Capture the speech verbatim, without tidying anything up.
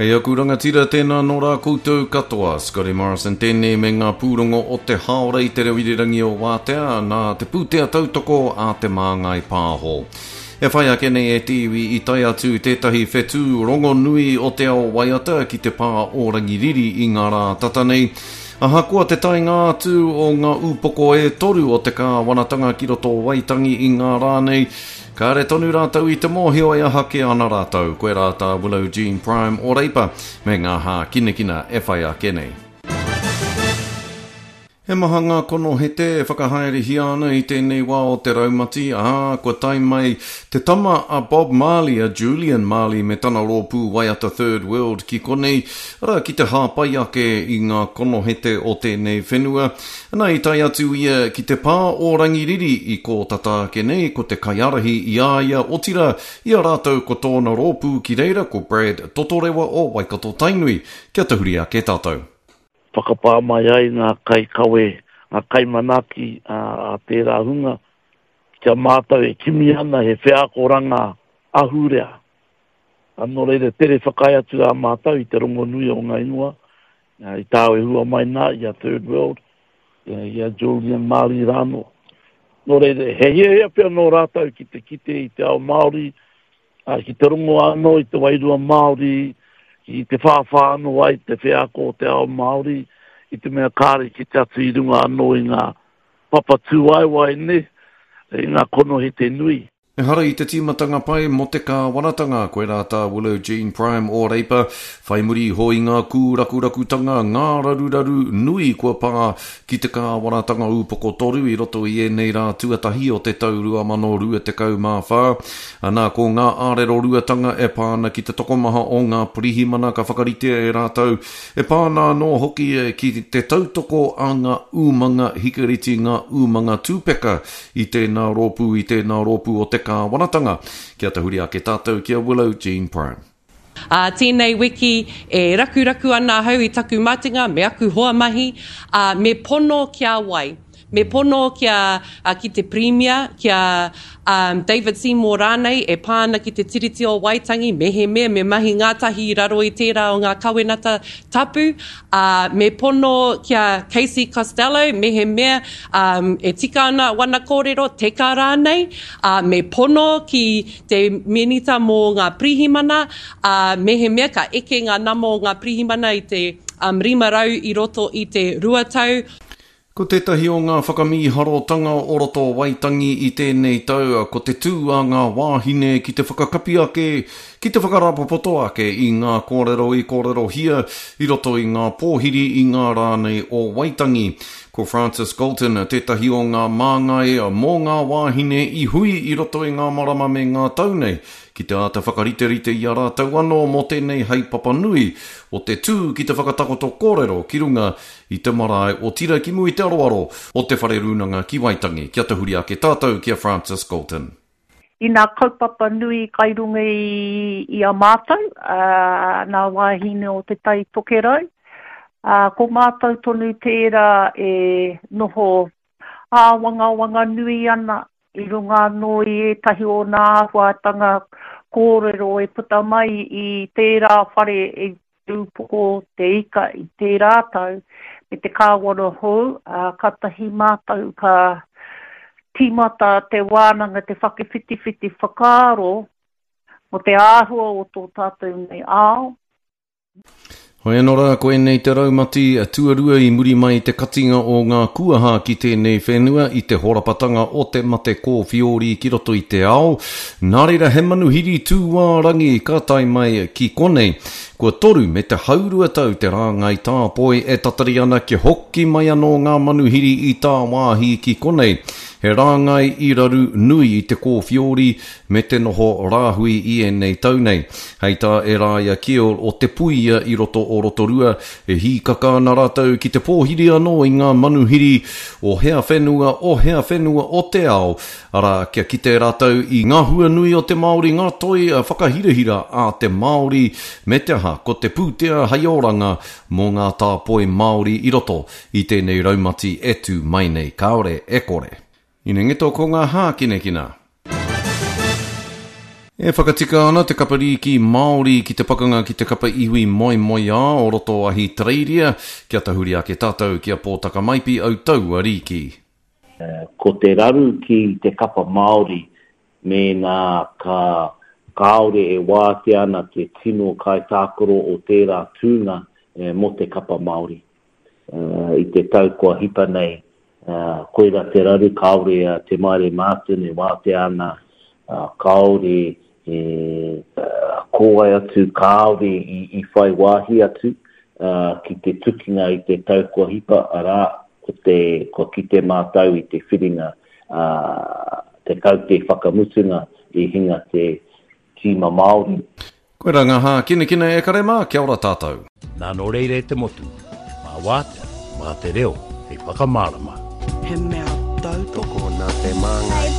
Kei aku rangatira tēnā nō rā koutou katoa. Scotty Morrison tēnei me ngā pūrongo o te haora i te reo irirangi o Wātea nā te pūtea tautoko a Te Māngai Pāho. E whai ake nei e te iwi i tae atu tētahi whetū rongonui o te ao waiata ki te pā o Rangiriri i ngā rā tata nei. Ahakoa te taenga atu o ngā upoko e toru o te kāwanatanga ki roto o Waitangi i ngā rā nei, kāre tonu rātou i te mōhio e aha kē ana rātou. Koe rā tā Willow Jean Prime o Reipa me ngā hākinakina e whai ake nei. He maha ngā konohete e whakahaerehia ana i tēnei wā o te raumati, ā, kua tae mai te tama a Bob Marley, a Julian Marley me tana rōpū waiata Third World ki konei, arā ki te hāpai ake i ngā konohete o tēnei whenua. Ana i tae atu ia ki te pā o Rangiriri i kō tata ake nei, ko te kaiārahi i a ia, otirā i a rātou ko tōna rōpū ki reira ko Brad Totorewa o Waikato Tainui. Kia tahuri ake tātou. Whakapā mai ai ngā kaikawe, ngā kaimanaaki a tērā hunga, kia mātou e kimi ana he wheakoranga ahurea. Nō reira, tere whakaae atu rā mātou i te rongonui o ngā ingoa, i tāu e hua mai nā, i a Third World, i a Julian Marley rānō. Nō reira, he hiahia pea nō rātou ki te kite i te ao Māori, ki te rongo anō i te wairua Māori, ki te whāwhā anō ai te wheako o te ao Māori, i te mea kāre ki te atu i runga anō i ngā papa tūwaewae ne, i ngā konohete nui. Ehara i te tīmatanga pai mō te kāwanatanga, koe rā tā Willow Jean Prime o Reipa, whai muri iho i ngā kūrakurakutanga, ngā raruraru nui kua pā ki te kāwanatanga upoko toru i roto i ēnei rā tuatahi o te tau rua mano rua tekau mā whā. Anā, ko ngā ārero ruatanga e pā ana ki te tokomaha o ngā pirihimana ka whakaritea e rātou, e pā ana anō hoki ki te tautoko a ngā umanga hikeriti, ngā umanga tūpeka i tēnā rōpū, i tēnā rōpū o te kāwanatanga. Kia tahuri ake tātou ki a Willow Jean Prime. Ā, tēnei wiki e rakuraku ana ahau i taku matenga me aku hoa mahi, ā, me pono ki a wai. Me pono ki a, a, ki te Premier, ki a um, David Seymour rānei e pā ana ki te Tiriti o Waitangi, mehemea me mahi ngātahi i raro i tērā o ngā kawenata tapu, ā, me pono ki a Casey Costello, mehemea um, e tika ana wana kōrero, teka rānei, ā, me pono ki te minita mō ngā pirihimana, ā, mehemea ka eke ngā nama o ngā pirihimana i te um, rima rau i roto i te rua tau. Ko tētahi o ngā whakamīharotanga o roto o Waitangi i tēnei tau, ko te tū a ngā wāhine ki te whakakapi ake, ki te whakarāpopoto ake i ngā kōrero i kōrerohia i roto i ngā pōhiri i ngā rānei o Waitangi. Ko Francis Galton tētahi o ngā māngai mō ngā wāhine i hui i roto i ngā marama me ngā tau nei, ki te āta whakariterite i a rātou anō mō tēnei haepapa nui o te tū ki te whakatakoto kōrero ki runga i te marae o Tira ki mua i te aroaro o te whare rūnanga ki Waitangi. Kia tahuri ake tātou ki a Francis Galton. I ngā kaupapa nui kai runga i, i a mātou, uh, nā wāhine o Te Tai Tokerau, uh, ko mātou tonu tērā e noho āwangawanga nui ana i runga anō i ētahi o ngā āhuatanga kōrero e puta mai i tērā whare e upoko te ika i tērā tau me te kāwana hou, uh, kātahi mātou ka tīmata te wānanga te whakawhitiwhiti whakaaro mō te āhua o tō tātou nei ao. Hoi anō rā, koinei te raumati tuarua i muri mai te katinga o ngā kuaha ki tēnei whenua i te horapatanga o te mate kōwhiori ki roto i te ao. Nā reira he manuhiri tūārangi ka tae mai ki konei. Kua toru me te haurua tau te rāngai tāpoi e tatari ana kia hoki mai anō ngā manuhiri i tāwāhi ki konei. He rāngai i raru nui i te kōwhiori me te noho rāhui i ēnei tau nei. Hei tā Eraia Kiel o Te Puia i roto o Rotorua, e hīkaka ana rātou ki te pōhiri anō i ngā manuhiri o hea whenua, o hea whenua o te ao, arā kia kite rātou i ngā hua nui o te Māori, ngā toi whakahirahira a te Māori, me te aha, ko te pūtea hei oranga mō ngā tāpoi Māori i roto i tēnei raumati e tū mai nei, kāore e kore. Inengeto ko ngā hākinakina. E whakatika ana te kapa rīki Māori ki te pakanga ki te kapa iwi moemoeā o roto Ahitereiria, kia tahuri ake tātou ki a Pōtaka Maipi au taua rīki. Ko te raru ki te kapa Māori mēnā ka kāore e wātea ana te tino kaitākaro o tērā tūnga mō te kapa Māori. I te tau kua hipa nei, koira te raru kāore a Te Maire Martin e wātea ana, kāore e kōwai atu, kāore i, i whai wāhi atu uh, ki te tukinga i te tau kua hipa, arā, ko te, kua kite mātau i te whiringa, uh, te kaute whakamutunga i hinga te tīma Māori. Koe rā ngā hākinakina e kare mā, kia ora tātou. Nā nō reira e te motu, mā wātea, mā te reo, hei whakamārama. He mea tautoko nā te māngai.